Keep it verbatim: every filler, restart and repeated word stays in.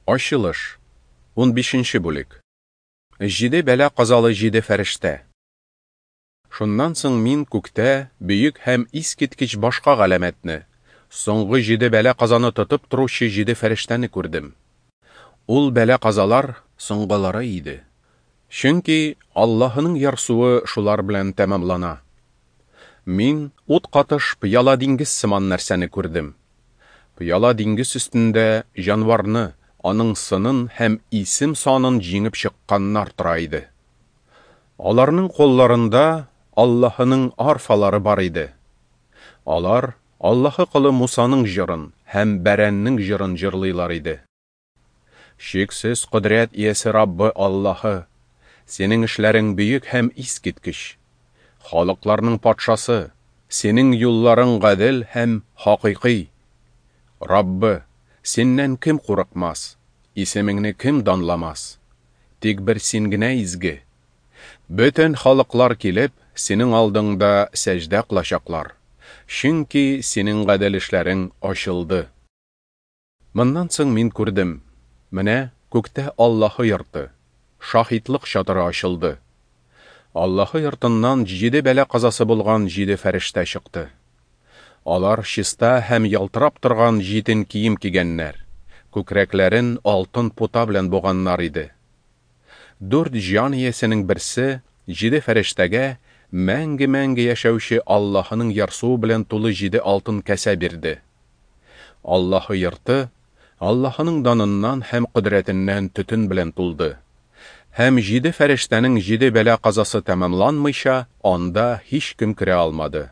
Ачылыш, унбишенче бүлек. Җиде бәла-казалы җиде фәрештә. Шуннан соң мин күктә бөек һәм искиткеч башка галәмәтне, соңгы җиде бәла-казаны тотып торучы җиде фәрештәне күрдем. Ул бәла-казалар соңгылары иде. Чөнки Аллаһының ярсуы шулар белән тәмамлана. Мин ут катыш пыяла диңгез сыман нәрсәне күрдем. Пыяла диңгез өстендә җанварны, аның сынын һәм исем санын җиңеп чыкканнар тора иде. Аларның кулларында Аллаһының арфалары бар иде. Алар Аллаһы колы Мусаның җырын һәм Бәрәннең җырын җырлыйлар иде. Чиксез кодрәт иясе Раббы Аллаһы, синең эшләрең бөек һәм искиткеч. Халыкларның патшасы, синең юлларың гадел һәм хакыйкый. Раббы, синнән кем курыкмас, исемеңне кем данламас? Тик бер син генә изге. Бөтен халыклар килеп, синең алдыңда сәҗдә кылачаклар. Чөнки синең гадел эшләрең ачылды. Моннан соң мин күрдем. Менә күктә Аллаһы йорты, шаһитлык чатыры ачылды. Аллаһы йортыннан җиде бәла казасы булган җиде фәрештә чыкты. Алар чиста һәм ялтырап торган җитен кием кигәннәр, күкрәкләрен алтын пута белән буганнар иде. Дүрт җан иясенең берсе җиде фәрештәгә мәңге-мәңге яшәүче Аллаһының ярсуы белән тулы җиде алтын кәсә бирде. Аллаһы йорты Аллаһының даныннан һәм кодрәтеннән төтен белән тулды. Һәм җиде фәрештәнең җиде бәла казасы тәмамланмыйча, анда һичкем керә алмады.